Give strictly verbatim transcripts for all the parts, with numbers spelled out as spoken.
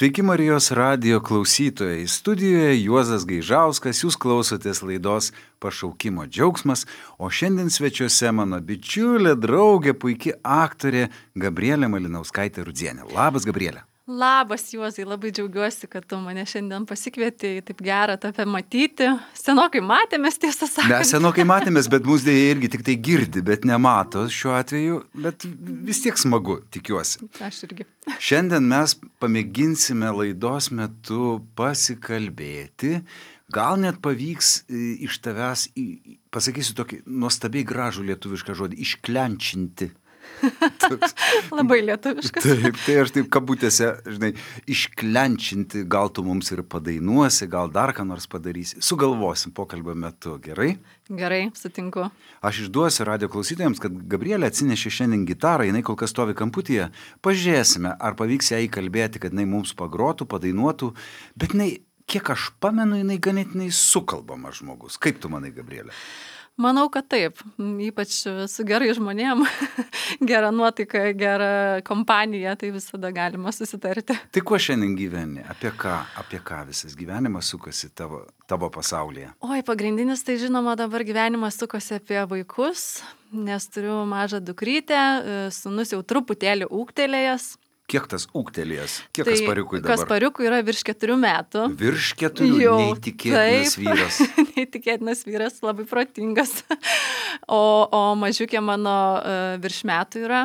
Sveiki Marijos radijo klausytojai. Studijoje Juozas Gaižauskas, jūs klausotės laidos Pašaukimo džiaugsmas, o šiandien svečiuose mano bičiulė, draugė, puiki aktorė Gabrielė Malinauskaitė-Rudzienė. Labas, Gabrielė. Labas, Juozai, labai džiaugiuosi, kad tu mane šiandien pasikvietei, taip gera tave matyti. Senokai matėmės, tiesą sakant. Mes senokai matėmės, bet mūsų dėja irgi tik tai girdi, bet nemato šiuo atveju, bet vis tiek smagu, tikiuosi. Aš irgi. Šiandien mes pamėginsime laidos metu pasikalbėti, gal net pavyks iš tavęs, pasakysiu tokį nuostabiai gražų lietuvišką žodį, išklenčinti. Toks. Labai lietuviškas. Taip, tai aš taip kabutėse, žinai, išklenčinti, gal tu mums ir padainuosi, gal dar ką nors padarysi. Sugalvosim pokalbio metu, gerai? Gerai, sutinku. Aš išduosiu radio klausytojams, kad Gabrielė atsinešė šiandien gitarą, jinai kol kas stovi kamputyje. Pažiūrėsime, ar pavyks ją įkalbėti, kad jinai mums pagrotų, padainuotų, bet jinai, kiek aš pamenu, jinai ganėtinai sukalbama žmogus. Kaip tu manai, Gabrielė? Manau, kad taip, ypač su gerai žmonėm, gera nuotaika, gera kompanija, tai visada galima susitarti. Tai kuo šiandien gyveni? Apie ką? Apie ką visas gyvenimas sukasi tavo, tavo pasaulyje? Oi, pagrindinis tai žinoma dabar gyvenimas sukasi apie vaikus, nes turiu mažą dukrytę, sūnus jau truputėlį ūgtelėjęs. Kiek tas ūgtelėjęs? Kiek tai Kaspariukui dabar? Kaspariukui yra virš keturių metų. Virš keturių? Jau, neįtikėtinas taip, vyras. Neįtikėtinas vyras, labai protingas. O, o mažiukė mano uh, virš metų yra.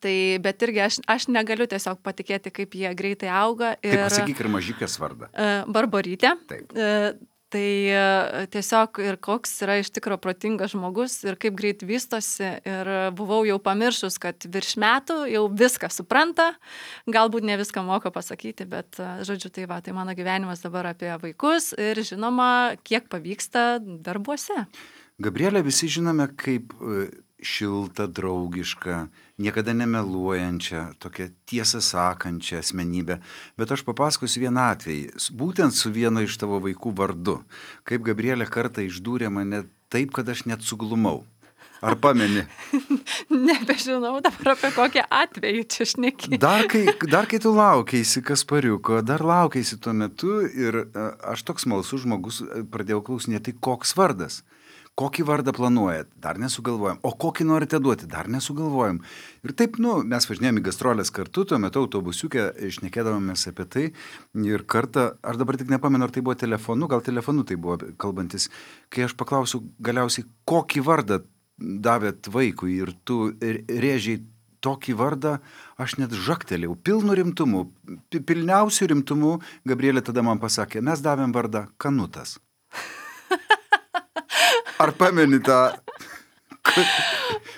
Tai, bet irgi aš, aš negaliu tiesiog patikėti, kaip jie greitai auga. Ir, tai pasakyk ir mažiukės vardą. Uh, Barborytė. Taip. Uh, Tai tiesiog ir koks yra iš tikro protingas žmogus ir kaip greit vystosi. Ir buvau jau pamiršus, kad virš metų jau viską supranta, galbūt ne viską moka pasakyti, bet žodžiu, tai va, tai mano gyvenimas dabar apie vaikus ir žinoma, kiek pavyksta darbuose. Gabrielė, visi žinome kaip šiltą, draugišką, niekada nemeluojančią, tokią tiesą sakančią asmenybę. Bet aš papasakosiu vieną atvejį, būtent su vieno iš tavo vaikų vardu. Kaip Gabrielė kartą išdūrė mane taip, kad aš net suglumau. Ar pameni? Nebežinau dabar apie kokią atvejį čia šneki. Dar kai, dar kai tu laukeisi Kaspariuko, dar laukeisi tuo metu ir aš toks smalsus žmogus pradėjau klausinėti, koks vardas. Kokį vardą planuojat? Dar nesugalvojam. O kokį norite duoti? Dar nesugalvojam. Ir taip, nu, mes važinėjom į gastrolės kartu, tuo metu autobusiuke šnekėdavomės apie tai. Ir kartą, aš dabar tik nepamenu, ar tai buvo telefonu, gal telefonu tai buvo kalbantis, kai aš paklausiu galiausiai, kokį vardą davėt vaikui ir tu rėžiai tokį vardą, aš net žaktelėjau, pilnu rimtumu, pilniausiu rimtumu. Gabrielė tada man pasakė, mes davėm vardą Kanutas. Ar pameni tą?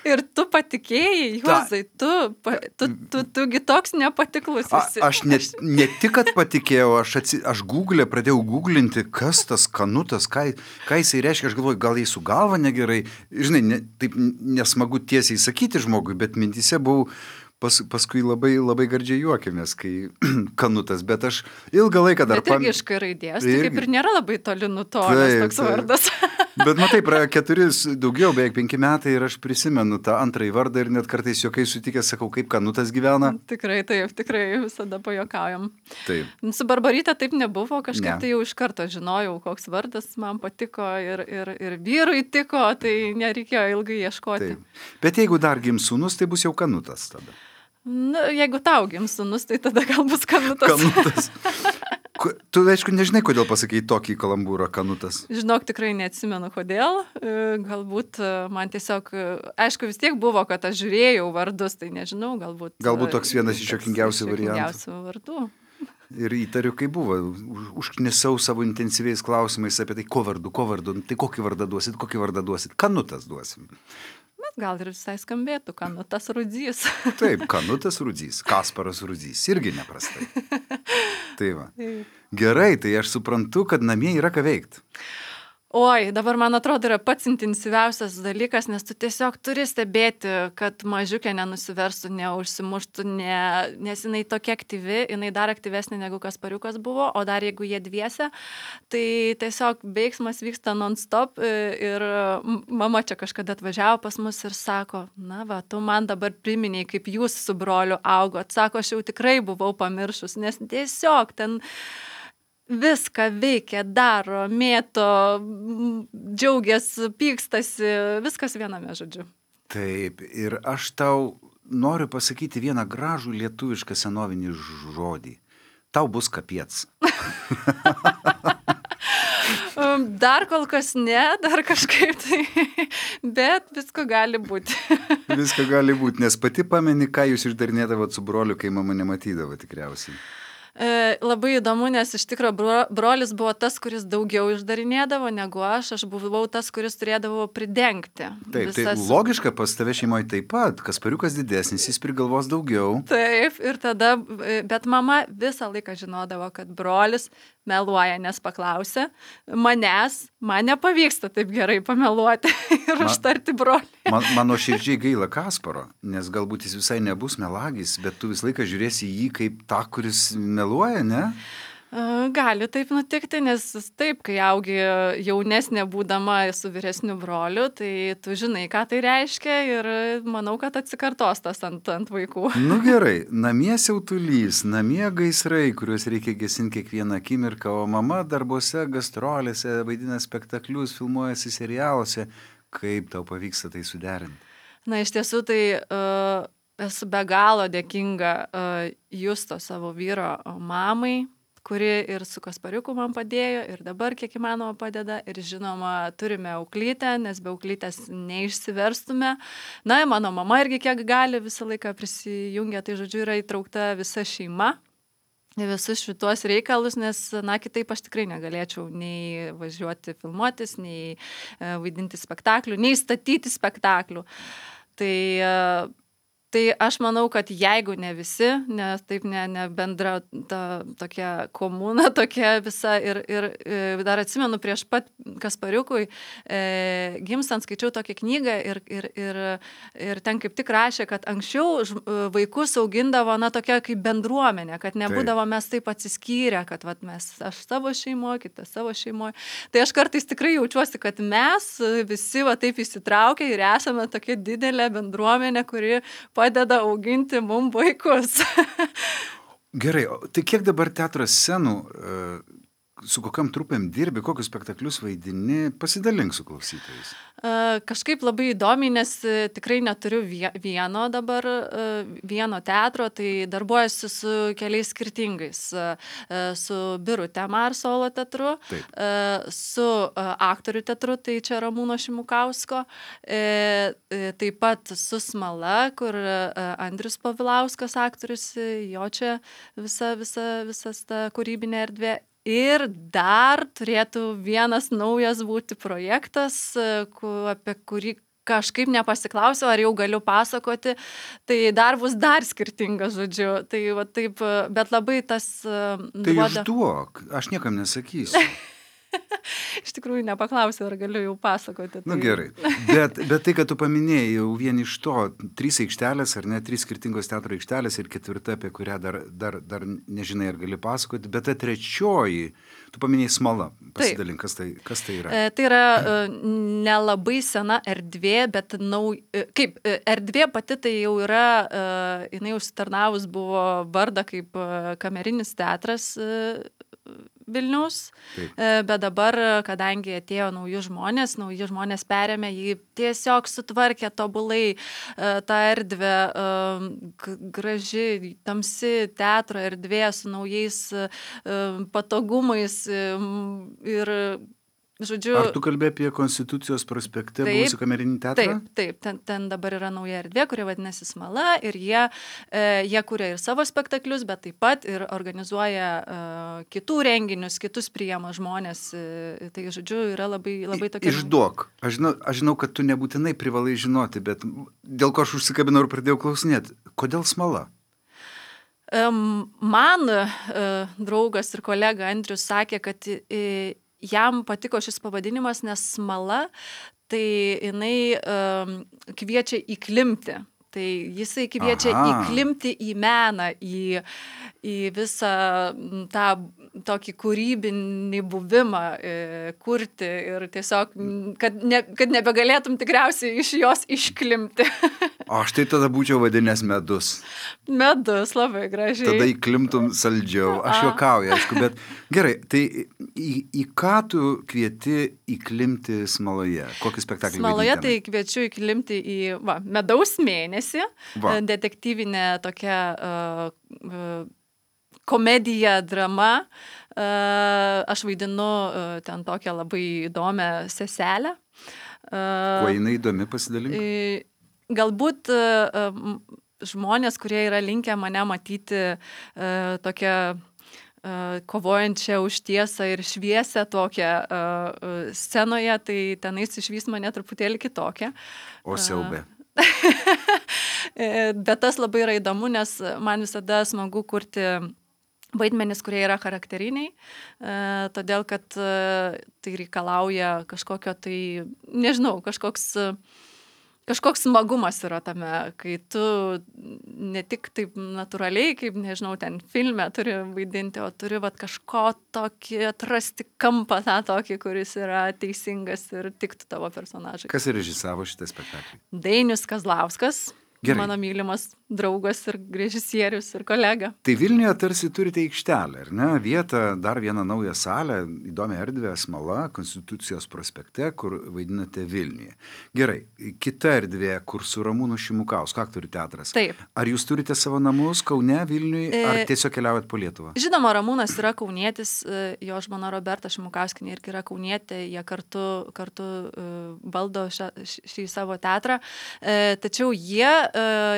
Ir tu patikėjai, Juozai, tu, pa, tu, tu, tugi toks nepatiklus esi. A, aš ne, ne tik, kad patikėjau, aš, atsi, aš Google pradėjau googlinti, kas tas Kanutas, ką, ką jisai reiškia, aš galvoju, gal jis su galva negerai, žinai, ne, taip nesmagu tiesiai sakyti žmogui, bet mintise buvau, pas, paskui labai, labai gardžiai juokėmės, kai Kanutas, bet aš ilgą laiką dar... Bet irgi pam... iš kai raidės, tai kaip ir nėra labai toli nutolęs toks taip. Vardas. Bet matai, praėjo keturis, daugiau, beveik penki metai ir aš prisimenu tą antrąjį vardą ir net kartais juokai sutikęs sakau, kaip Kanutas gyvena. Tikrai taip, tikrai visada pajuokaujam. Taip. Su Barboryte taip nebuvo, kažkaip ne. Tai jau iš karto žinojau, koks vardas man patiko ir, ir, ir vyrui tiko, tai nereikėjo ilgai ieškoti. Taip. Bet jeigu dar gims sūnus, tai bus jau Kanutas tada. Na, jeigu tau gims sūnus, tai tada gal bus Kanutas. Kanutas. Tu, aišku, nežinai, kodėl pasakėjai tokį kalambūrą Kanutas. Žinok, tikrai neatsimenu, kodėl. Galbūt man tiesiog, aišku, vis tiek buvo, kad aš žiūrėjau vardus, tai nežinau, galbūt... Galbūt toks vienas iš juokingiausių variantų. Vardų. Ir įtariu, kai buvo. Užknisau savo intensyviais klausimais apie tai, ko vardu, ko vardu, tai kokį vardą duosit, kokį vardą duosit. Kanutas duosim. Bet gal ir visai skambėtų, Kanutas Rudzys. Taip, Kanutas Rudzys, Kasparas Rudzys, irgi neprastai. Tai va. Gerai, tai aš suprantu, kad namie yra ką veikti. Oi, dabar man atrodo yra pats intensyviausias dalykas, nes tu tiesiog turi stebėti, kad mažiukė nenusiverstų, neužsimuštų, ne, nes jinai tokia aktyvi, jinai dar aktyvesnė negu Kaspariukas buvo, o dar jeigu jie dviese, tai tiesiog veiksmas vyksta non-stop ir mama čia kažkada atvažiavo pas mus ir sako, na va, tu man dabar priminiai, kaip jūs su broliu augot, sako, aš jau tikrai buvau pamiršus, nes tiesiog ten viską veikia, daro, mėto, džiaugiasi, pykstasi, viskas viename, žodžiu. Taip, ir aš tau noriu pasakyti vieną gražų lietuvišką senovinį žodį. Tau bus kapiec. Dar kol kas ne, dar kažkaip tai, bet visko gali būti. Visko gali būti, nes pati pameni, ką jūs išdarinėdavot su broliu, kai mama nematydavo tikriausiai. E, labai įdomu, nes iš tikro bro, brolis buvo tas, kuris daugiau išdarinėdavo negu aš, aš buvau tas, kuris turėdavo pridengti. Taip, visas... tai logiška, pas tave šeimoje taip pat, Kaspariukas didesnis, jis prigalvos daugiau. Taip, ir tada, bet mama visą laiką žinodavo, kad brolis meluoja, nes paklausė manęs, man nepavyksta taip gerai pameluoti ir man, užtarti brolį. Man, mano širdžiai gaila Kasparo, nes galbūt jis visai nebus melagis, bet tu visą laiką žiūrėsi jį kaip tą, kuris meluoja, ne? Gali taip nutikti, nes taip, kai augi jaunesnė būdama su vyresniu broliu, tai tu žinai, ką tai reiškia ir manau, kad atsikartos tas ant, ant vaikų. Nu gerai, namie siautulys, namie gaisrai, kuriuos reikia gesinti kiekvieną akimirką, o mama darbuose, gastrolėse, vaidina spektaklius, filmuojasi serialuose. Kaip tau pavyksta tai suderinti? Na, iš tiesų, tai uh, esu be galo dėkinga uh, Justo savo vyro mamai, kuri ir su Kaspariuku man padėjo, ir dabar kiek įmanoma padeda, ir žinoma, turime auklytę, nes be auklytės neišsiverstume. Na, mano mama irgi kiek gali visą laiką prisijungia, tai žodžiu yra įtraukta visa šeima į visus šitos reikalus, nes, na, kitaip aš tikrai negalėčiau nei važiuoti filmuotis, nei e, vaidinti spektaklių, nei statyti spektaklių. Tai Tai aš manau, kad jeigu ne visi, nes taip ne, ne bendra ta tokia komuna, tokia visa ir, ir, ir dar atsimenu prieš pat Kaspariukui e, gimstant skaičiau tokią knygą ir, ir, ir, ir ten kaip tik rašė, kad anksčiau vaikus augindavo, na, tokia kaip bendruomenė, kad nebūdavo mes taip atsiskyrę, kad vat, mes, aš savo šeimoje, kitas savo šeimoje. Tai aš kartais tikrai jaučiuosi, kad mes visi va taip įsitraukę ir esame tokia didelė bendruomenė, kuri padeda auginti mum vaikus. Gerai, tai kiek dabar teatro scenų, su kokiam trupėm dirbi, kokius spektaklius vaidini, pasidalink su klausytojais. Kažkaip labai įdomiai, nes tikrai neturiu vieno dabar, vieno teatro, tai darbuojuosi su keliais skirtingais. Su Birute Mar solo teatru, Taip. Su aktorių teatru, tai čia Ramūno Šimukausko, taip pat su Smala, kur Andrius Pavilauskas aktorius, jo čia visa, visa, visas ta kūrybinė erdvė. Ir dar turėtų vienas naujas būti projektas, apie kurį kažkaip nepasiklausiau, ar jau galiu pasakoti, tai dar bus dar skirtingas, žodžiu. Tai va taip, bet labai tas Tai duoda... išduok, aš niekam nesakysiu. Iš tikrųjų nepaklausiau, ar galiu jau pasakoti. Tai... Na gerai, bet, bet tai, kad tu paminėjai jau vien iš to, trys aikštelės ar ne, trys skirtingos teatro aikštelės ir ketvirta, apie kurią dar, dar, dar nežinai, ar gali pasakoti, bet ta trečioji, tu paminėjai Smala, pasidalink, kas tai, kas tai yra? Tai yra nelabai sena erdvė, bet nau, kaip erdvė pati tai jau yra, jinai užsitarnavus buvo vardą kaip kamerinis teatras Vilniaus, Taip. Bet dabar, kadangi atėjo nauji žmonės, nauji žmonės perėmė, jį tiesiog sutvarkė tobulai tą erdvę, graži, tamsi teatro erdvė su naujais patogumais ir žodžiu... Ar tu kalbė apie Konstitucijos prospekte buvusių kamerinį teatrą? Taip, taip, ten, ten dabar yra nauja erdvė, kuri vadinasi Smala ir jie, e, jie kuria ir savo spektaklius, bet taip pat ir organizuoja e, kitų renginius, kitus priima žmonės. E, tai, žodžiu, yra labai, labai tokia... Išduok. Aš žinau, aš žinau, kad tu nebūtinai privalai žinoti, bet dėl ko aš užsikabinau ir pradėjau klausinėti. Kodėl Smala? E, man e, draugas ir kolega Andrius sakė, kad... E, jam patiko šis pavadinimas, nes smala, tai jinai um, kviečia įklimti. Tai jisai kviečia Aha. įklimti į meną, į, į visą tą tokį kūrybinį buvimą, e, kurti ir tiesiog, kad, ne, kad nebegalėtum tikriausiai iš jos išklimti. O aš tai tada būčiau vadinęs medus. Medus, labai gražiai. Tada įklimtum saldžiau. Aš juokauju, aišku, bet gerai, tai į, į ką tu kvieti įklimti smaloje? Kokį spektaklį Smaloje vaidinti? tai kviečiu įklimti į va, medaus mėnesį, Va. detektyvinė tokia uh, uh, komedija, drama. Uh, aš vaidinu uh, ten tokią labai įdomią seselę. Uh, Kuo jinai įdomi, pasidalink? uh, Galbūt uh, um, žmonės, kurie yra linkę mane matyti uh, tokią uh, kovojančią už tiesą ir šviesę tokią uh, uh, scenoje, tai tenais išvys mane truputėlį kitokią. O siaubė. Bet tas labai yra įdomu, nes man visada smagu kurti vaidmenis, kurie yra charakteriniai, todėl kad tai reikalauja kažkokio tai, nežinau, kažkoks, kažkoks smagumas yra tame, kai tu ne tik taip natūraliai, kaip, nežinau, ten filme turi vaidinti, o turi vat, kažko tokį atrasti kampą tą tokį, kuris yra teisingas ir tiktų tavo personažai. Kas režisavo šitą spektaklį? Dainius Kazlauskas. Gerai. Mano mylimas draugas ir režisierius ir kolega. Tai Vilniuje tarsi turite aikštelę, ar ne? Vietą, dar vieną naują salę, įdomią erdvę, Smala, Konstitucijos prospekte, kur vaidinate Vilniuje. Gerai, kita erdvė, kur su Ramūnu Šimukausku, aktorių teatras. Taip. Ar jūs turite savo namus Kaune, Vilniuje, ar E, tiesiog keliaujat po Lietuvą? Žinoma, Ramūnas yra kaunietis, jo žmona Roberta Šimukauskinė irgi yra kaunietė, jie kartu, kartu uh, valdo šią, šį savo teatrą, uh, tačiau jie uh,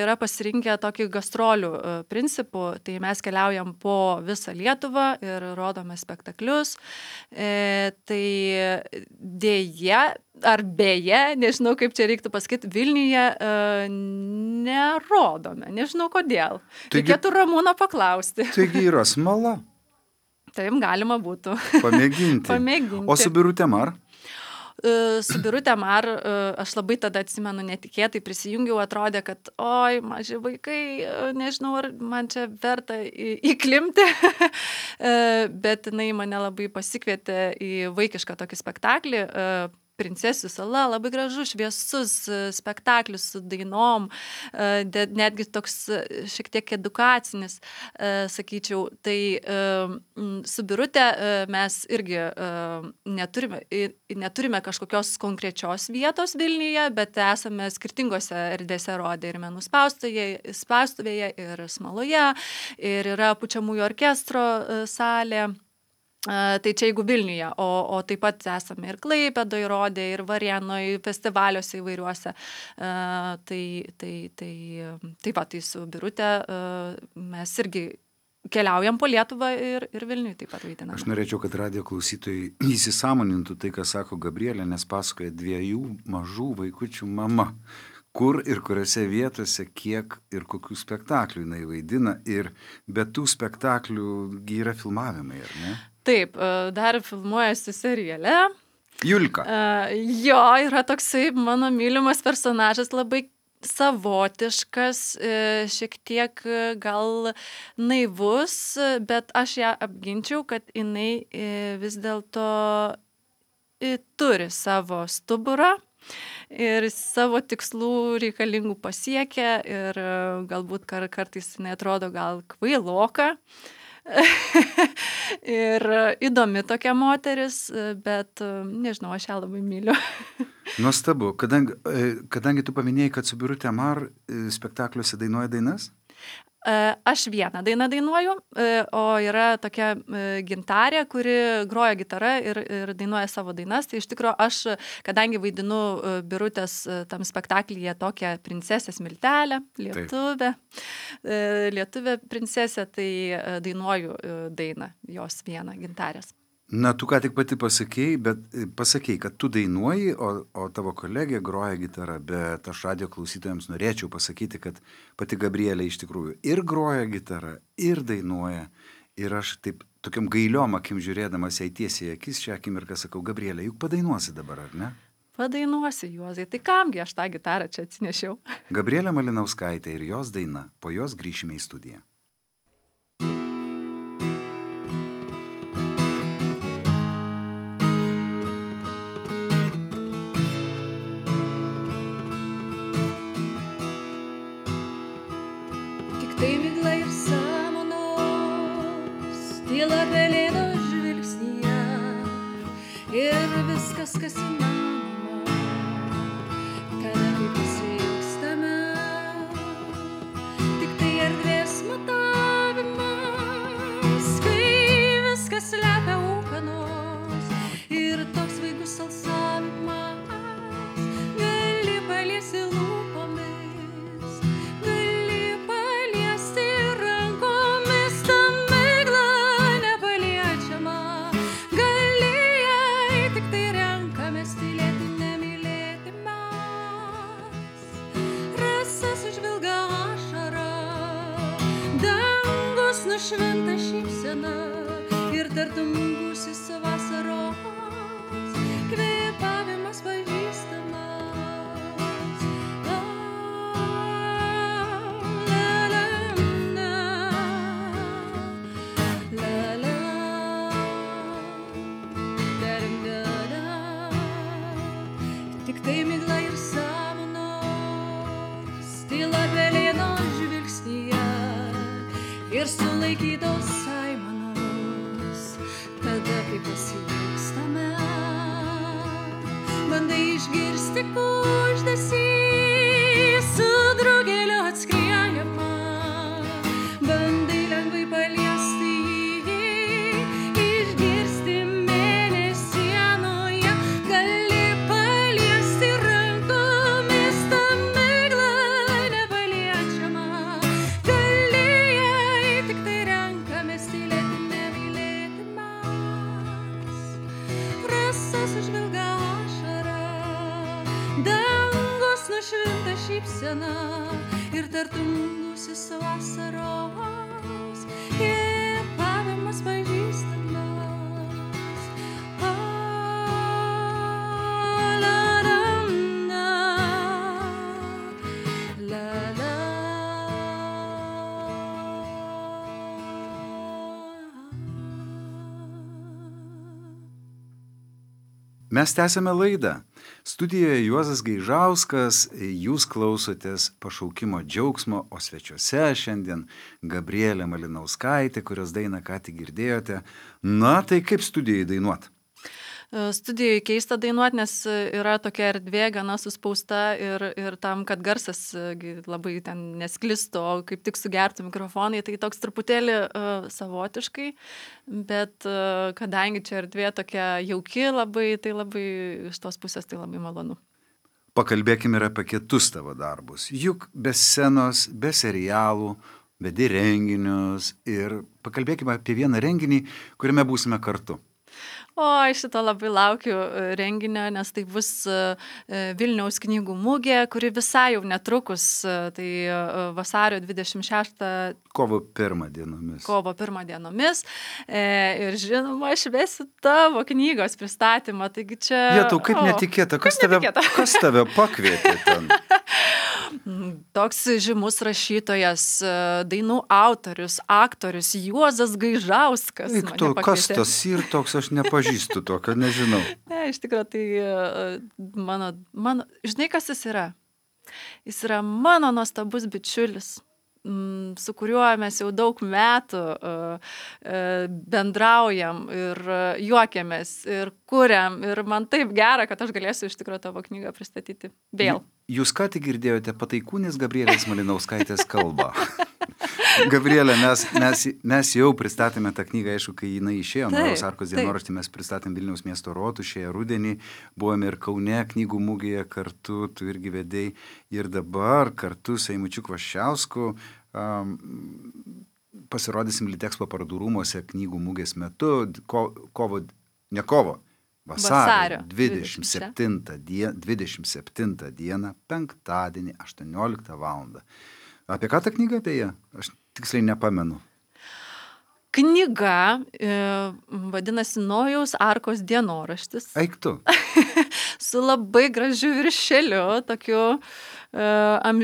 yra pasirinkę tokį gastrolių uh, principų, tai mes keliaujam po visą Lietuvą ir rodome spektaklius, uh, tai dėja, ar beje, nežinau kaip čia reiktų pasakyti, Vilniuje uh, nerodome, nežinau kodėl. Taigi- Reikėtų Ramūno paklausti. Taigi yra Smala. Taip galima būtų. Pamėginti. Pamėginti. O su Birute Mar? E, Su Birute Mar e, aš labai tada atsimenu netikėtai prisijungiau, atrodė, kad oi, maži vaikai, e, nežinau, ar man čia verta į- įklimti, E, bet jinai mane labai pasikvietė į vaikišką tokį spektaklį, e, Princesių sala, labai gražus, šviesus e, spektaklis su dainom, e, de- netgi toks e, šiek tiek edukacinis, e, sakyčiau. Tai e, m, su Birute e, mes irgi e, neturime, i- neturime kažkokios konkrečios vietos Vilniuje, bet esame skirtingose erdvėse rodę ir menų spaustuvėje, spaustuvėje ir Smaloje, ir yra pučiamųjų orkestro e, salė. E, Tai čia jeigu Vilniuje, o, o taip pat esame ir Klaipėdoje rodę, ir Varėnoje, festivaliuose įvairiuose. E, Tai, tai, tai, tai va, tai su Birute e, mes irgi keliaujam po Lietuvą ir, ir Vilniuje taip pat vaidiname. Aš norėčiau, kad radijo klausytojai įsisąmonintų tai, ką sako Gabrielė, nes pasakoja dviejų mažų vaikučių mama. Kur ir kuriuose vietose, kiek ir kokių spektaklių jinai vaidina. Ir be tų spektaklių gi yra filmavimai, ar ne? Taip, e, dar filmuojasi seriale. Julka. E, Jo, yra toksai mano mylimas personažas, labai savotiškas, e, šiek tiek e, gal naivus, e, bet aš ją apginčiau, kad jinai e, vis dėlto e, turi savo stuburą ir savo tikslų reikalingų pasiekia ir e, galbūt kar, kartais jinai atrodo gal kvailoka. Ir e, įdomi tokia moteris, e, bet e, nežinau, aš ją labai myliu. Nuostabu. Kadangi, e, kadangi tu paminėjai, kad su Birute Mar e, spektakliuose dainuoja dainas, E, Aš vieną dainą dainuoju, e, o yra tokia e, gintarė, kuri groja gitarą ir, ir dainuoja savo dainas. Tai iš tikrųjų aš, kadangi vaidinu e, Birutės e, tam spektaklyje tokią princesę Smiltelę, lietuvę, e, lietuvę princesę, tai e, dainuoju e, dainą, jos vieną gintarės. na, tu ką tik pati pasakėjai, bet e, pasakėjai, kad tu dainuoji, o, o tavo kolegė groja gitarą, bet aš radijo klausytojams norėčiau pasakyti, kad pati Gabrielė iš tikrųjų ir groja gitarą, ir dainuoja. Ir aš taip tokiom gailiom akim žiūrėdamas jai tiesiai į akis, šią akimirką sakau, Gabrielė, juk padainuosi dabar, ar ne? Padainuosi, Juozai, tai kamgi aš tą gitarą čia atsinešiau. Gabrielė Malinauskaitė ir jos daina, po jos grįšime į studiją. Tai migla ir samanos, tyla pelėdo žvilgsnyje ir viskas, kas įmanoma, kada kai pasiilgstame. Tik tai erdvės matavimas, kai viskas slepia ūkanos ir toks svaigus alsavimas. Gali paliesti lūpomis, šventa šypsena ir tartum gūsis vasaros, kvėpavimas pažįstamas. La, la, la, la, la, la, da, da, da. Tik tai migla ir samanos, tyla pelėdo žvilgsnyje ir sulaikytos aimanos, tada kai pasiilgstame. Bandai išgirsti kuždesį su drugeliu atskriejama, bandai lengvai paliesti jį, išgirsti mėnesienoje, gali paliesti rankomis tą miglą nepaliečiamą. Sužvilga ašara, dangus nušvinta šypsena ir tartum gūsis vasaros, kvėpavimas pažįstamas. A, la, la, la, la, la. Mes tęsiame laidą. Studijoje Juozas Gaižauskas, jūs klausotės Pašaukimo džiaugsmo, o svečiuose šiandien Gabrielė Malinauskaitė, kurios dainą ką tik girdėjote. Na, tai kaip studijai dainuot? Studijai keista dainuoti, nes yra tokia erdvė gana suspausta ir, ir tam, kad garsas labai ten nesklistų, o kaip tik sugertų mikrofonai, tai toks truputėlį uh, savotiškai, bet uh, kadangi čia erdvė tokia jauki labai, tai labai iš tos pusės tai labai malonu. Pakalbėkime ir apie kitus tavo darbus. Juk be scenos, be serialų, vedi renginius ir pakalbėkime apie vieną renginį, kuriame būsime kartu. O, aš šito labai laukiu renginio, nes tai bus Vilniaus knygų mugė, kuri visai jau netrukus, tai vasario dvidešimt šeštą Kovo pirmą dienomis. Kovo pirmą dienomis. Ir žinoma, aš vesiu tavo knygos pristatymą, taigi čia... Jėtau, kaip o, netikėta, kas, kaip tave, netikėta. kas tave pakvietė ten? Toks žymus rašytojas, dainų autorius, aktorius Juozas Gaižauskas. Eik tu, kas tas ir toks, aš nepažįstu tokio, nežinau. Ne, iš tikrųjų, tai mano, mano, žinai, kas jis yra? Jis yra mano nuostabus bičiulis, su kuriuo mes jau daug metų bendraujam ir juokiamės ir kuriam. Ir man taip gera, kad aš galėsiu iš tikrųjų tavo knygą pristatyti vėl. Jūs ką tik girdėjote Pataikūnės Gabrielės Malinauskaitės kalbą. Gabrielė, mes, mes, mes jau pristatėme tą knygą, aišku, kai jinai išėjo, Nojaus Arkos dienoraštį mes pristatėm Vilniaus miesto rotušėje rudenį, buvome ir Kaune knygų mugėje kartu, tu irgi vedei, ir dabar kartu su Eimučiu Kvaščiausku um, pasirodysim Litexpo parodų rūmuose knygų mugės metu, ko, kovo, ne kovo, vasario dvidešimt septintą dieną, penktadienį, aštuonioliktą valandą. Apie ką ta knyga apie ją? Aš tiksliai nepamenu. knyga, vadinasi Nojaus arkos dienoraštis. Eik tu. Su labai gražiu viršeliu, tokiu, uh, am,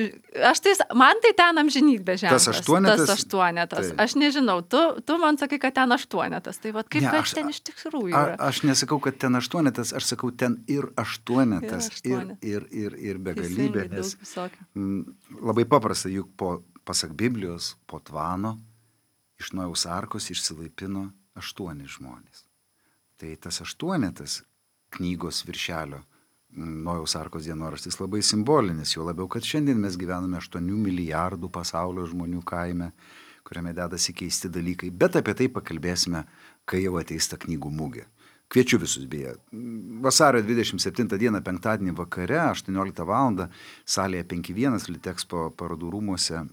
aš tai, man tai ten amžinybė ženklas. Tas aštuonetas? Tas aštuonetas. Tai. Aš nežinau, tu, tu man sakai, kad ten aštuonetas. Tai va, kaip Ne, kas aš- ten iš tikrųjų A, yra? aš nesakau, kad ten aštuonetas, aš sakau ten ir aštuonetas, Ir ir, aštuonetas. ir, ir, ir begalybė, Teisingai, nes daug visokių. mm, labai paprasta, juk po, pasak Biblijos, po tvano iš Nojaus arkos išsilaipino aštuoni žmonės. Tai tas aštuonetas knygos viršelio mm, Nojaus arkos dienoraštis labai simbolinis, jo labiau, kad šiandien mes gyvename aštuonių milijardų pasaulio žmonių kaime, kuriame dedasi keisti dalykai, bet apie tai pakalbėsime, kai jau ateis ta knygų mugė. Kviečiu visus beje. Vasario dvidešimt septintą dieną, penktadienį vakare, aštuonioliktą valandą, salėje penki vienas Litexpo parodų rūmuose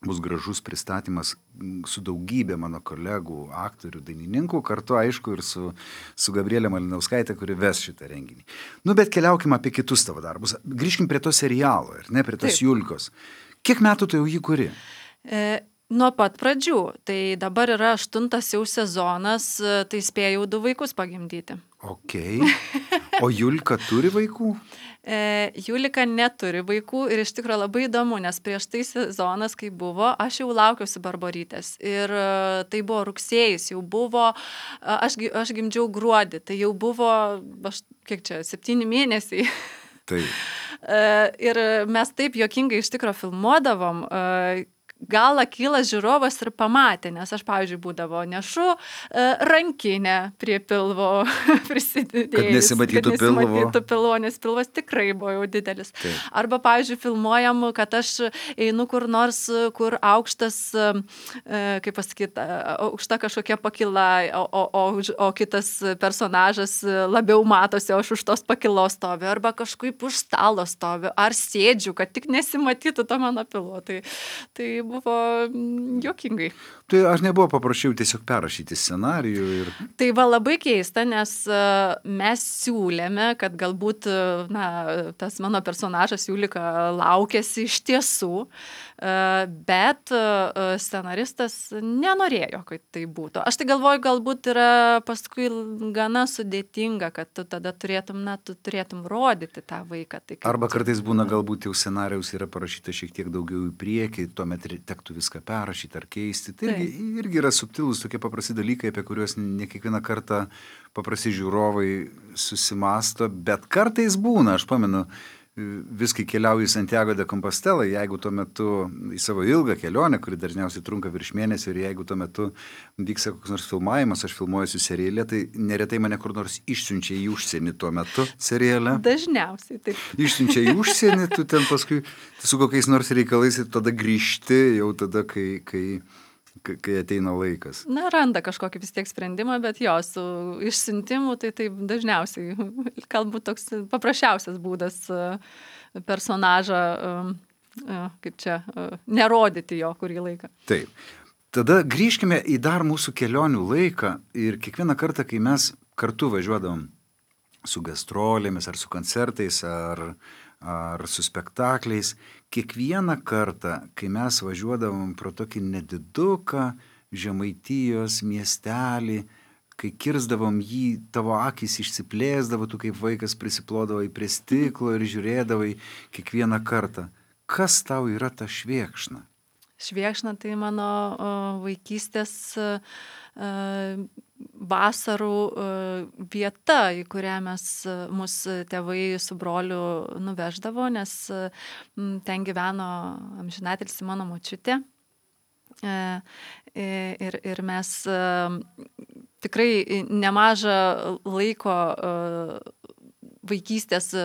bus gražus pristatymas mm, su daugybė mano kolegų, aktorių, dainininkų, kartu aišku ir su, su Gabrielė Malinauskaitė, kuri ves šitą renginį. Nu, bet keliaukime apie kitus tavo darbus. Grįžkim prie to serialo, ir ne, prie tos Taip. Julkos. Kiek metų tu jau jį kuri? E, nuo pat pradžių. Tai dabar yra aštuntas jau sezonas, e, tai spėjau du vaikus pagimdyti. Ok. O Julka turi vaikų? E, Julika neturi vaikų ir iš tikrųjų labai įdomu, nes prieš tai sezonas, kai buvo, aš jau laukiausi Barborytės. Ir e, tai buvo rugsėjais, jau buvo, e, aš, gi- aš gimdžiau gruodį, tai jau buvo, aš, kiek čia, septyni mėnesiai. Tai. E, ir mes taip juokingai iš tikrųjų filmuodavom, e, gal akylas žiūrovas ir pamatė, nes aš, pavyzdžiui, būdavo nešu e, rankinę prie pilvo prisidėjus. Kad nesimatytų kad pilvo. nesimatytų pilvo, nes pilvas tikrai buvo jau didelis. Taip. Arba, pavyzdžiui, filmuojam, kad aš einu kur nors, kur aukštas, e, kaip pasakyti, aukšta kažkokia pakila, o, o, o, už- o kitas personažas labiau matosi, o aš už tos pakilos stoviu, arba kažkaip už stalo stoviu, ar sėdžiu, kad tik nesimatytų to mano pilvo. Tai, tai buvo mm, juokingai. Tai aš nebuvo paprašiau tiesiog perrašyti scenarijų ir... Tai va labai keista, nes e, mes siūlėme, kad galbūt e, na, tas mano personažas Julika laukėsi iš tiesų, e, bet e, scenaristas nenorėjo, kad tai būtų. Aš tai galvoju, galbūt yra paskui gana sudėtinga, kad tu tada turėtum, na, tu turėtum rodyti tą vaiką. Tai kaip Arba tu- kartais būna galbūt jau scenarijaus yra parašyta šiek tiek daugiau į priekį, tuomet re- tektų viską perrašyti ar keisti. Tai irgi, irgi yra subtilūs tokie paprasti dalykai, apie kuriuos ne kiekvieną kartą paprasti žiūrovai susimasto, bet kartais būna, aš pamenu, viskai keliauju į Santiago de Compostela, jeigu tuo metu į savo ilgą kelionę, kuri dažniausiai trunka virš mėnesio ir jeigu tuo metu vyksta koks nors filmavimas, aš filmuojuosi serialė, tai neretai mane kur nors išsiunčia į užsienį tuo metu serialę. Dažniausiai taip. Išsiunčia į užsienį, tu ten paskui su kokiais nors reikalais ir tada grįžti jau tada, kai, kai, kai, kai ateina laikas. Na, randa kažkokį vis tiek sprendimą, bet jo, su išsiuntimu, tai taip dažniausiai, galbūt toks paprasčiausias būdas e, personažą, e, e, kaip čia, e, nerodyti jo kurį laiką. Taip. Tada grįžkime į dar mūsų kelionių laiką ir kiekvieną kartą, kai mes kartu važiuodavom su gastrolėmis ar su koncertais ar, ar su spektakliais, kiekvieną kartą, kai mes važiuodavom pro tokį nediduką Žemaitijos miestelį, kai kirsdavom jį, tavo akys išsiplėsdavo, tu kaip vaikas prisiplodavai prie stiklo ir žiūrėdavai kiekvieną kartą. Kas tau yra ta Švėkšna? Švėkšna tai mano o, vaikystės e, vasarų e, vieta, į kurią mes, e, mus tėvai su broliu nuveždavo, nes e, m, ten gyveno amžinatilsį mano močiutė. E, e, ir, ir mes e, tikrai nemažą laiko e, vaikystės e,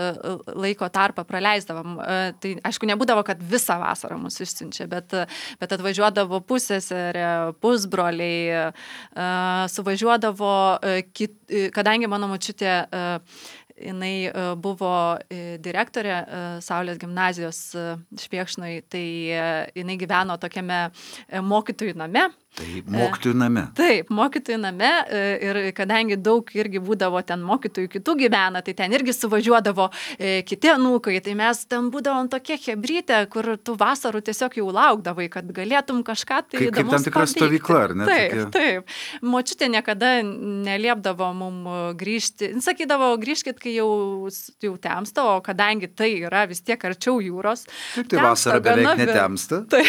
laiko tarpą praleisdavom. E, Tai aišku, nebūdavo, kad visą vasarą mus išsiunčia, bet, bet atvažiuodavo pusseserė, pusbroliai, e, suvažiuodavo, e, kit, e, kadangi mano močiutė e, jinai e, buvo e, direktorė e, Saulės gimnazijos e, Švėkšnoj, tai e, jinai gyveno tokiame e, mokytojų name. Tai mokytojų name. Taip, mokytojų name ir kadangi daug irgi būdavo ten mokytojų kitų gyvena, tai ten irgi suvažiuodavo kiti anūkai, tai mes ten būdavom tokie hebrytė, kur tu vasarų tiesiog jau laukdavai, kad galėtum kažką tai kaip, kaip tam tikra stovykla, ar ne? Taip, tokia... taip. Močiutė niekada neliepdavo mum grįžti, sakydavo, grįžkit, kai jau, jau temsta, o kadangi tai yra vis tiek arčiau jūros. Taip, tai vasara beveik netemsta. Tai,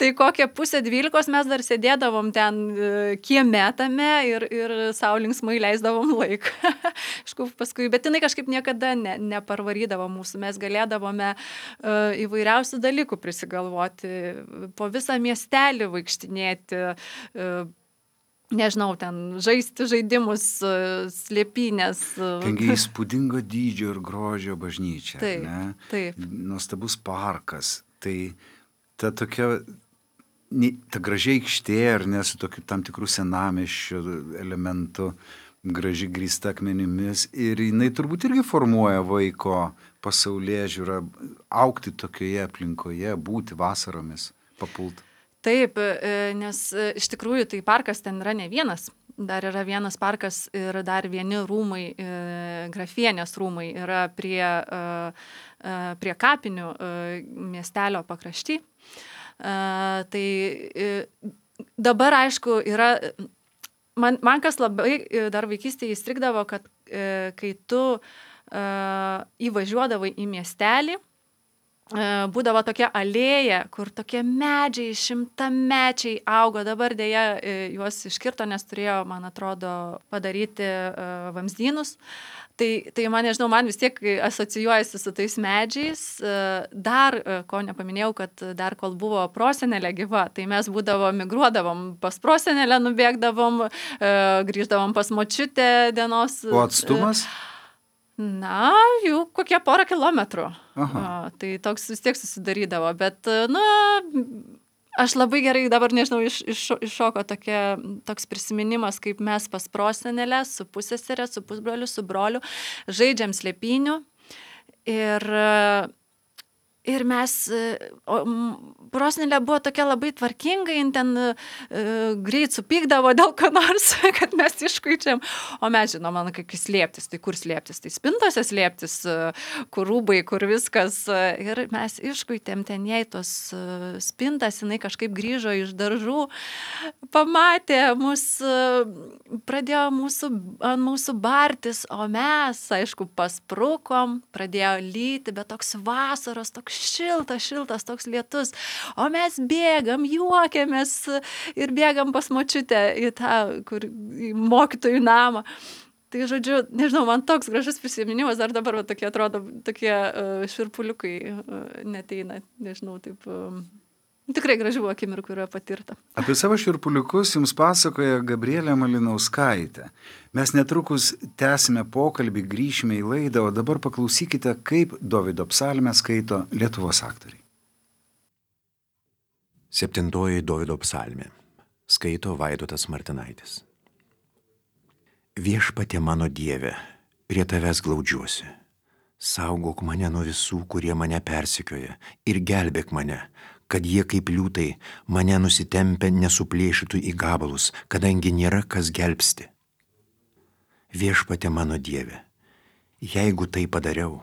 tai kokią pusę dvylikos mes dar sėdėjome. Dėdavom ten kieme tame ir, ir sau linksmai leisdavom laiką. Paskui, bet jinai kažkaip niekada ne, neparvarydavo mūsų. Mes galėdavome uh, įvairiausių dalykų prisigalvoti, po visą miestelį vaikštinėti, uh, nežinau, ten žaisti žaidimus, uh, slėpynės. Uh. Tengi įspūdingo dydžio ir grožio bažnyčia. Taip, ne? taip. Nuostabus parkas. Tai ta tokia... ta gražiai aikštė, ar ne, su tokiu tam tikrų senamiesčio elementų, graži grįsta akmenimis. Ir jinai turbūt irgi formuoja vaiko pasaulėžiūrą, augti tokioje aplinkoje, būti vasaromis, papult. Taip, nes iš tikrųjų tai parkas ten yra ne vienas. Dar yra vienas parkas ir dar vieni rūmai, grafienės rūmai yra prie, prie kapinių miestelio pakrašty. Uh, tai uh, dabar, aišku, yra, man, man kas labai dar vaikystėje įstrigdavo, kad uh, kai tu uh, įvažiuodavai į miestelį, uh, būdavo tokia alėja, kur tokie medžiai, šimtamečiai augo, dabar dėja uh, juos iškirto, nes turėjo, man atrodo, padaryti uh, vamzdynus. Tai, tai man, nežinau, man vis tiek asocijuojasi su tais medžiais. Dar, ko nepaminėjau, kad dar kol buvo prosenelė gyva, tai mes būdavo, migruodavom pas prosenelę, nubėgdavom, grįždavom pas močiutę dienos. O atstumas? Na, jau kokie porą kilometrų. Aha. Tai toks vis tiek susidarydavo, bet, na... Aš labai gerai dabar, nežinau, iš, iš, iššoko tokia, toks prisiminimas, kaip mes pas prosenelę, su pusseserė, su pusbroliu, su broliu, žaidžiam slėpynių ir, ir mes, o, prosenelė buvo tokia labai tvarkinga, jin ten uh, greit supykdavo dėl ko nors, kad mes iškuičiam, o mes žinom, man kaip slėptis, tai kur slėptis, tai spintose slėptis, uh, kur rūbai, kur viskas, uh, ir mes iškuitėm ten jai tos uh, spintas, jinai kažkaip grįžo iš daržų, pamatė mus, uh, pradėjo mūsų, ant mūsų bartis, o mes, aišku, pasprukom, pradėjo lyti, bet toks vasaros, toks šiltas, šiltas, toks lietus. O mes bėgam, juokiamės ir bėgam pas močiutę į tą kur, į mokytojų namą. Tai, žodžiu, nežinau, man toks gražus prisiminimas, ar dabar va, tokie atrodo, tokie uh, švirpuliukai uh, neteina, nežinau, taip... Uh, Tikrai gražių akimirkų yra patirta. Apie savo širpuliukus jums pasakoja Gabrielė Malinauskaitė. Mes netrukus tęsime pokalbį, grįšime į laidą, o dabar paklausykite, kaip Dovydo psalmę skaito Lietuvos aktoriai. Septintoji Dovydo psalmė. Skaito Vaidotas Martinaitis. Viešpatie mano Dieve, prie tavęs glaudžiuosi. Saugok mane nuo visų, kurie mane persekioja, ir gelbėk mane, kad jie kaip liūtai mane nusitempę nesuplėšytų į gabalus, kadangi nėra kas gelbsti. Viešpatie mano Dieve, jeigu tai padariau,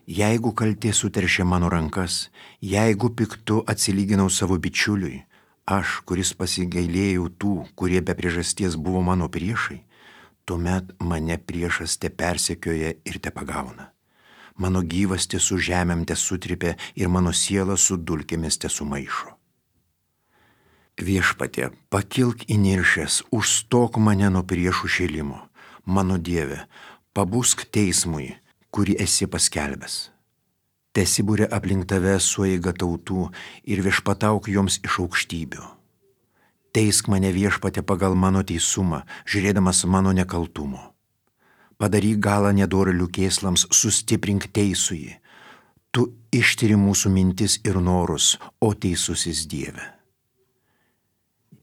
jeigu kaltė suteršė mano rankas, jeigu piktu atsilyginau savo bičiuliui, aš, kuris pasigailėjau tų, kurie be priežasties buvo mano priešai, tuomet mane priešas te persekioja ir te pagauna. Mano gyvasti su žemėm te sutripė ir mano siela su dulkėmis te sumaišo. Viešpatie, pakilk įniršęs, užstok mane nuo priešų šėlimo. Mano Dieve, pabusk teismui, kurį esi paskelbęs. Tesibūrė aplink tave sueiga tautų ir viešpatauk joms iš aukštybių. Teisk mane, Viešpatie, pagal mano teisumą, žiūrėdamas mano nekaltumo. Padaryk galą nedorėlių kėslams, sustiprink teisųjį. Tu ištiri mūsų mintis ir norus, o teisusis Dieve.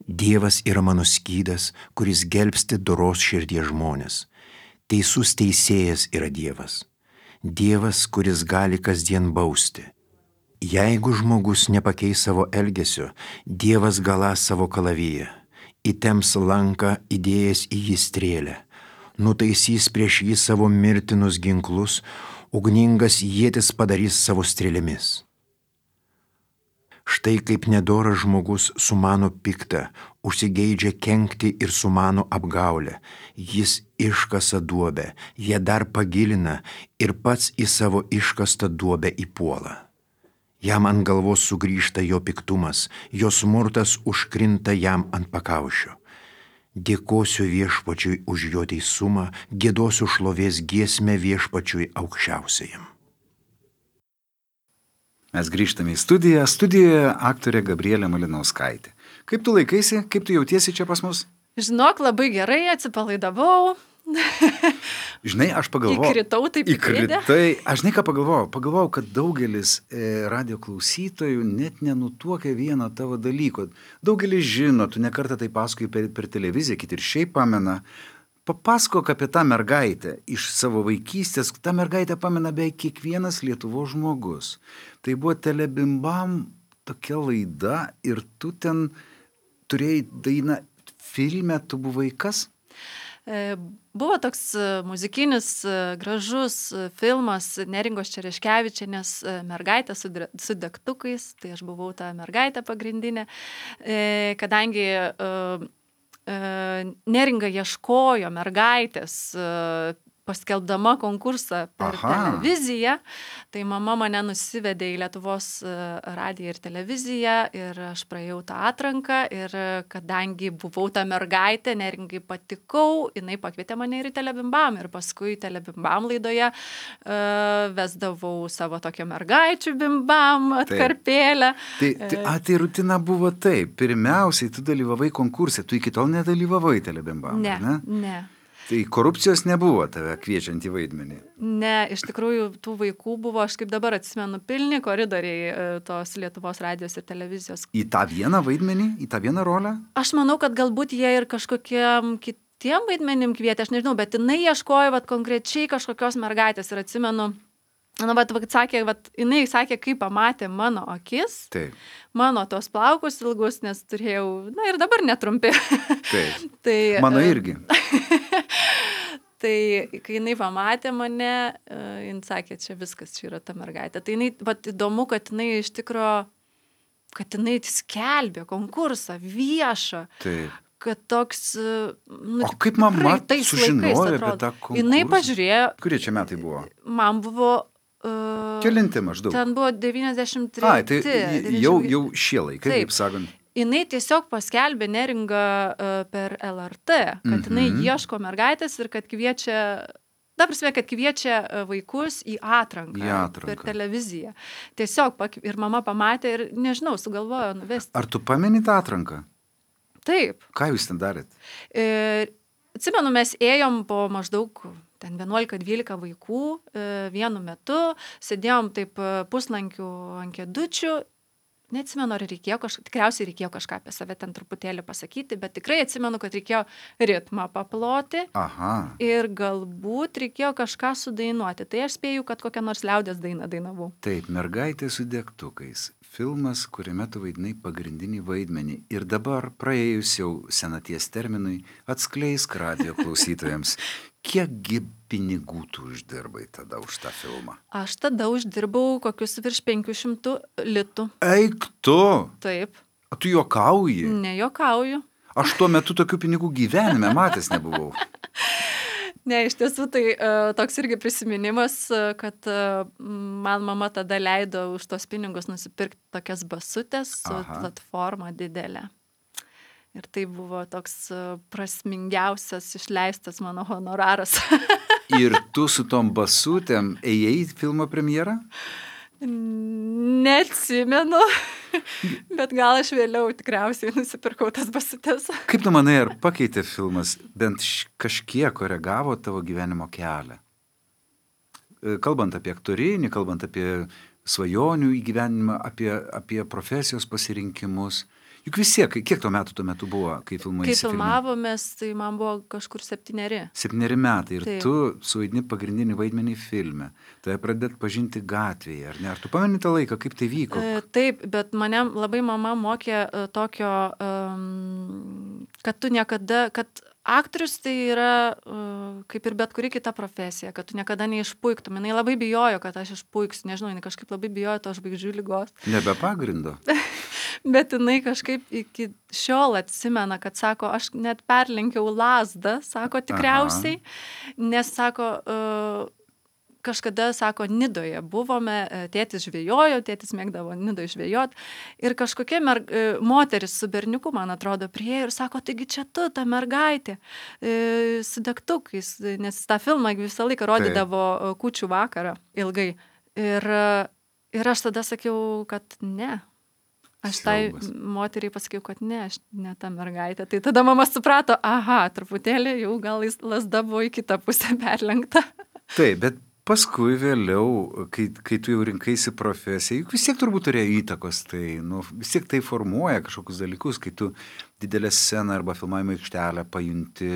Dievas yra mano skydas, kuris gelbsti doros širdies žmonės. Teisus teisėjas yra Dievas. Dievas, kuris gali kasdien bausti. Jeigu žmogus nepakeis savo elgesio, Dievas galąs savo kalaviją. įtems lanką įdėjęs į jį strėlę, nutaisys prieš jį savo mirtinus ginklus, ugningas ietis padarys savo strėlėmis. Štai kaip nedoras žmogus sumano piktą, užsigeidžia kenkti ir sumano apgaulę. Jis iškasa duobę, ją dar pagilina ir pats į savo iškastą duobę įpuola. Jam ant galvos sugrįžta jo piktumas, jo smurtas užkrinta jam ant pakaušio. Dėkosiu viešpačiui už jo teisumą, giedosiu šlovės giesmę viešpačiui aukščiausiajam. Mes grįžtame į studiją. Studijoje aktorė Gabrielė Malinauskaitė. Kaip tu laikaisi, kaip tu jautiesi čia pas mus? Žinok, labai gerai, atsipalaidavau. Žinai, aš pagalvojau. Įkritau taip įkritę. Įkritai. Aš žinai, ką pagalvojau. Pagalvojau, kad daugelis e, radio klausytojų net nenutuokia vieno tavo dalyko. Daugelis žino, tu nekartą tai pasakoji per, per televiziją, kiti ir šiaip pamena. Papasakok apie tą mergaitę iš savo vaikystės. Ta mergaitė pamena beveik kiekvienas Lietuvos žmogus. Tai buvo Telebimbam tokia laida ir tu ten turėjai dainą filme, tu buvai kas? Buvo toks muzikinis gražus filmas Neringos Čereškevičienės Mergaitė su, su degtukais, tai aš buvau ta mergaitė pagrindinė, kadangi Neringa ieškojo mergaitės paskelbdama konkursą per Aha. televiziją, tai mama mane nusivedė į Lietuvos radiją ir televiziją ir aš praėjau tą atranką ir kadangi buvau ta mergaitė, Neringai patikau, jinai pakvietė mane ir į Telebimbam ir paskui Telebimbam laidoje uh, vesdavau savo tokią mergaičių bimbam atkarpėlę. Tai, tai, a, tai rutina buvo taip. Pirmiausiai tu dalyvavai konkurse, tu iki tol nedalyvavai Telebimbam, ne? Ne, ne. Tai korupcijos nebuvo tave kviečiant į vaidmenį? Ne, iš tikrųjų tų vaikų buvo, aš kaip dabar atsimenu, pilni koridoriai tos Lietuvos radijos ir televizijos. Į tą vieną vaidmenį, į tą vieną rolę? Aš manau, kad galbūt jie ir kažkokiem kitiem vaidmenim kvietė, aš nežinau, bet jinai ieškojo vat, konkrečiai kažkokios mergaitės ir atsimenu, na, vat, vat, sakė, vat, jinai sakė, kaip pamatė mano akis, Taip. mano tos plaukus ilgus, nes turėjau, na ir dabar netrumpi. Taip. tai, Mano irgi. Tai kai jinai pamatė mane, jinai sakė, čia viskas, čia yra ta mergaitė. Tai jinai, vat, įdomu, kad jinai iš tikro, kad jinai skelbė konkursą viešą. Taip. Kad toks, nu, O kaip mama tais sužinojo laikais, apie atrodo. tą konkursą? Jinai pažiūrėjo. Kurie čia metai buvo? Man buvo... Uh, Kelinti maždaug? Ten buvo devyniasdešimt treti. Ai, tai jau, jau šie laikai, Taip. kaip sakant. Jinai tiesiog paskelbė Neringą uh, per L R T, kad Mhm. jinai ieško mergaitės ir kad kviečia, da prasme, kad kviečia vaikus į atranką, Į atranką. per televiziją. Tiesiog, pak- ir mama pamatė ir, nežinau, sugalvojo nuvesti. Ar tu pameni tą atranką? Taip. Ką jūs ten darėt? Ir atsimenu, mes ėjom po maždaug ten vienuolika dvylika vaikų e, vienu metu, sėdėjom taip e, puslankių ant kėdučių. Neatsimenu, ar reikėjo kažką, tikriausiai reikėjo kažką apie save ten truputėlį pasakyti, bet tikrai atsimenu, kad reikėjo ritmą paploti Aha. ir galbūt reikėjo kažką sudainuoti. Tai aš spėju, kad kokią nors liaudės dainą dainavau. Taip, Mergaitė su degtukais. Filmas, kuriame tu vaidinai pagrindinį vaidmenį. Ir dabar, praėjus jau senaties terminui, atskleisk radijo klausytojams, kiekgi pinigų tu uždirbai tada už tą filmą? Aš tada uždirbau kokius virš penkių šimtų litų. Eik tu! Taip, A tu juokauji? nejokauju. Aš tuo metu tokių pinigų gyvenime matęs nebuvau. Ne, iš tiesų tai uh, toks irgi prisiminimas, uh, kad uh, man mama tada leido už tos pinigus nusipirkti tokias basutės su Aha. platforma didelė. Ir tai buvo toks uh, prasmingiausias išleistas mano honoraras. Ir tu su tom basutėm ėjai į filmo premjerą? Neatsimenu, bet gal aš vėliau tikriausiai nusipirkau tas basutės. Kaip tu manai, ar pakeitė filmas, bent š- kažkiek koregavo tavo gyvenimo kelią? E, Kalbant apie aktorinį, kalbant apie svajonių įgyvenimą, apie, apie profesijos pasirinkimus. Juk vis tiek, kiek tuo metų tuo metu buvo, kai filmai Kai filmavomės, tai man buvo kažkur septyneri. Septyneri metai ir Taip. tu suvaidini pagrindinį vaidmenį filme. Tai pradėt pažinti gatvėje, ar ne? Ar tu pameni tą laiką, kaip tai vyko? E, Taip, bet mane labai mama mokė e, tokio, um, kad tu niekada, kad aktorius tai yra uh, kaip ir bet kuri kita profesija, kad tu niekada neišpuiktum. Jinai labai bijojo, kad aš išpuiksiu, nežinau, jinai kažkaip labai bijojo to žvaigždžių lygos. Nebe pagrindo. Bet jinai kažkaip iki šiol atsimena, kad sako, aš net perlenkiau lazdą, sako tikriausiai, Aha. nes sako, uh, kažkada, sako, Nidoje buvome, tėtis žvejojo, tėtis mėgdavo Nidoje žvejot ir kažkokia mer... moteris su berniuku, man atrodo, priejo ir sako, taigi čia tu, ta mergaitė, e, su degtukais, nes tą filmą visą laiką rodydavo tai. Kūčių vakarą ilgai. Ir, ir aš tada sakiau, kad ne. Aš tai moteriai pasakiau, kad ne, aš ne ta mergaitė. Tai tada mama suprato, aha, truputėlį jau gal lasda buvo į kitą pusę perlenkta. Taip, bet paskui vėliau, kai, kai tu jau rinkaisi profesiją, juk vis tiek turbūt turėjo įtakos, tai nu, vis tiek tai formuoja kažkokius dalykus, kai tu didelę sceną arba filmavimo aikštelę pajunti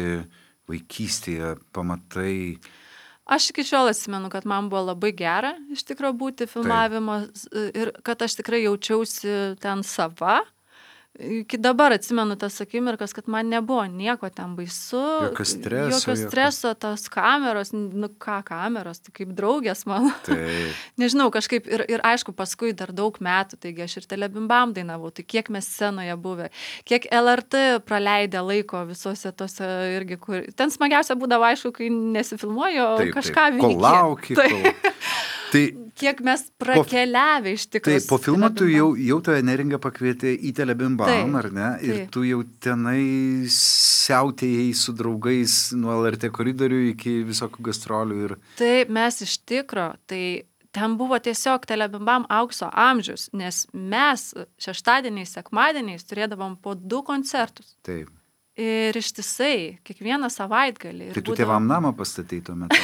vaikystėje, pamatai. Aš iki šiol atsimenu, kad man buvo labai gera iš tikro būti filmavimo Taip. Ir kad aš tikrai jaučiausi ten sava. Iki dabar atsimenu tas akimirkas, kad man nebuvo nieko ten baisu. Jokio streso. Jokio streso, jokio... tos kameros, nu ką kameros, tai kaip draugės mano. Taip. Nežinau, kažkaip ir, ir aišku, paskui dar daug metų, taigi aš ir Telebimbam dainavau, tai kiek mes scenoje buvę, kiek L R T praleidę laiko visose tose irgi, kur... Ten smagiausia būdavo, aišku, kai nesifilmuoju, o taip, kažką taip. Kol lauki, tai... kol... Tai, kiek mes prakeliavę iš tikrųjų. Taip, po filmo tu jau, jau tave Neringa pakvietė į Telebimbam, taip, ar ne? Ir taip. Tu jau tenai siautėjai su draugais nuo L R T koridorių iki visokių gastrolių. Ir... Taip, mes iš tikro, tai ten buvo tiesiog Telebimbam aukso amžius, nes mes šeštadieniais, sekmadieniais turėdavom po du koncertus. Taip. Ir ištisai, kiekvieną savaitgalį. Tai tu būdavo... tėvam namą pastatei tuo metu.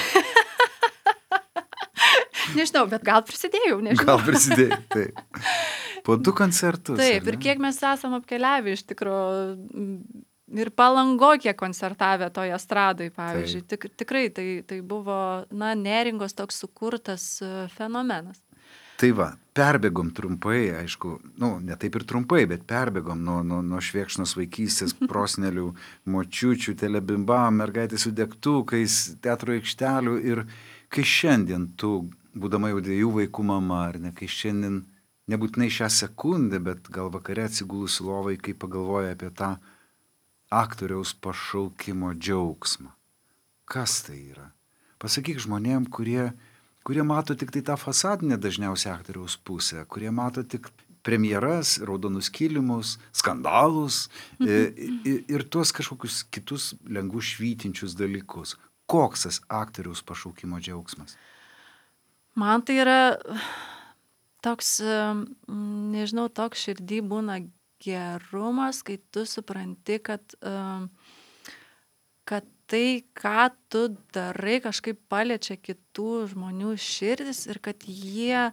Nežinau, bet gal prisidėjau, nežinau. Gal prisidėjau, taip. Po du koncertus. Taip, ir kiek mes esam apkeliavę iš tikrųjų, ir Palango kiek koncertavę toje estradoj, pavyzdžiui. Tik, tikrai tai, tai buvo, na, Neringos toks sukurtas fenomenas. Tai va, perbėgom trumpai, aišku, nu, ne taip ir trumpai, bet perbėgom nuo, nuo, nuo švėkšnos vaikystės, prosnelių, močiučių, Telebimbam, mergaitės su degtukais, teatro aikštelių ir kai šiandien tu, būdama jau dviejų vaikų mama, ar ne, kai šiandien, nebūtinai šią sekundę, bet gal vakare atsigulusi lovai, kai pagalvoja apie tą aktoriaus pašaukimo džiaugsmą. Kas tai yra? Pasakyk žmonėm, kurie, kurie mato tik tai tą fasadinę dažniausiai aktoriaus pusę, kurie mato tik premjeras, raudonus kilimus, skandalus ir, ir, ir tuos kažkokius kitus lengvų švytinčius dalykus. Koks tas aktoriaus pašaukimo džiaugsmas? Man tai yra toks, nežinau, toks širdį būna gerumas, kai tu supranti, kad, kad tai, ką tu darai, kažkaip paliečia kitų žmonių širdis ir kad jie,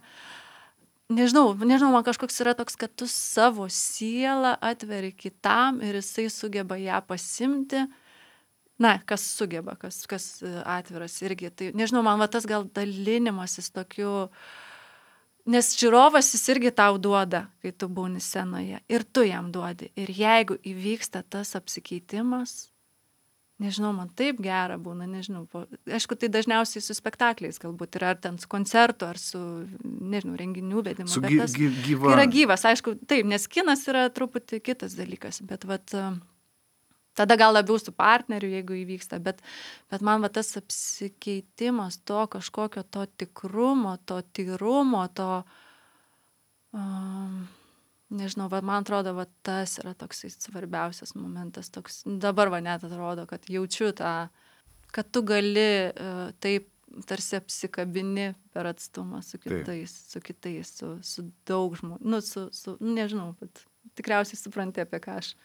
nežinau, nežinau, man kažkoks yra toks, kad tu savo sielą atveri kitam ir jisai sugeba ją pasimti. Na, kas sugeba, kas, kas atviras irgi. Tai, nežinau, man va tas gal dalinimasis tokiu, nes žiūrovas jis irgi tau duoda, kai tu būni scenoje. Ir tu jam duodi. Ir jeigu įvyksta tas apsikeitimas, nežinau, man taip gera būna, nežinau. Po, aišku, tai dažniausiai su spektakliais galbūt yra, ar ten su koncertu, ar su, nežinau, renginių vedimu. Su bet gy, tas, gy, gyva. Yra gyvas, aišku, taip, nes kinas yra truputį kitas dalykas, bet vat... Tada gal labiau su partneriu, jeigu įvyksta, bet, bet man va tas apsikeitimas to kažkokio to tikrumo, to tyrumo, to, um, nežinau, va, man atrodo, va tas yra toksai svarbiausias momentas. Toks, dabar va net atrodo, kad jaučiu tą, kad tu gali uh, taip tarsi apsikabini per atstumą su kitais, taip. su kitais, su, su daug žmonių, nu, su, su, nežinau, bet tikriausiai supranti, apie ką aš.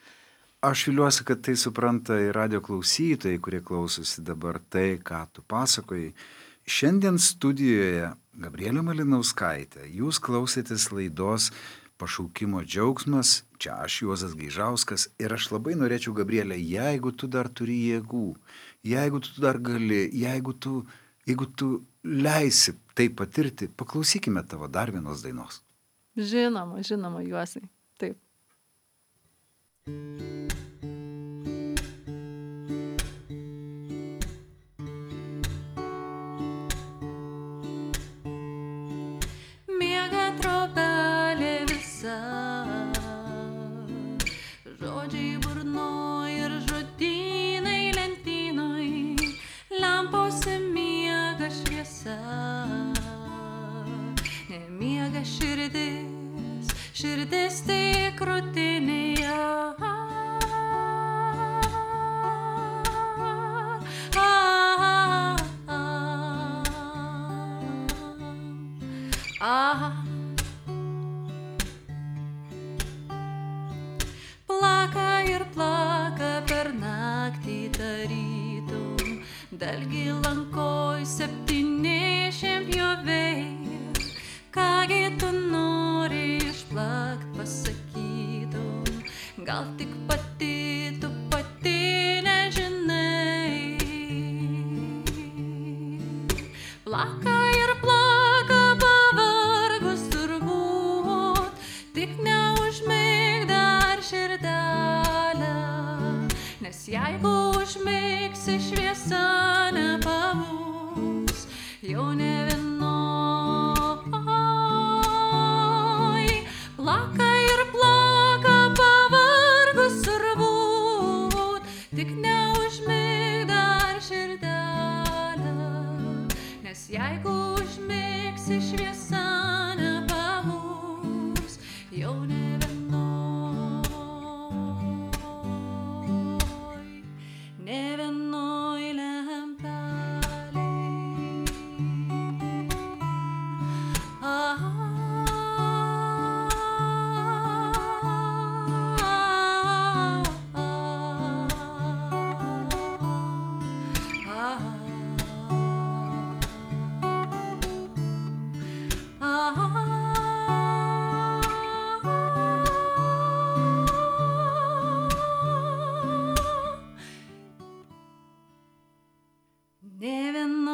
Aš viliuosi, kad tai supranta ir radio klausytojai, kurie klausosi dabar tai, ką tu pasakoji. Šiandien studijoje Gabrielė Malinauskaitė. Jūs klausėtės laidos Pašaukimo džiaugsmas. Čia aš, Juozas Gaižauskas. Ir aš labai norėčiau, Gabrielė, jeigu tu dar turi jėgų, jeigu tu dar gali, jeigu tu, jeigu tu leisi tai patirti, paklausykime tavo dar vienos dainos. Žinoma, žinoma, Juozai. Taip. ištįsti krūtinėje. Plaka ir plaka per naktį tarytum, dalgi lankoj septyniasdešimt pjovėjų. Kągi tu nori išplakt, pasakytum, gal tik pati tu pati nežinai. Plaka ir plaka pavargus turbūt, tik neužmig dar širdelę, nes jeigu užmigsi šviesa nepabūs, jau ne vienoj. Plaka ir plaka pavargus turbūt, tik neužmig dar širdelę, nes jeigu užmigsi šviesa nepabūs, jau ne vienoj, ne vienoj lempelėj. Ah, ne vienoj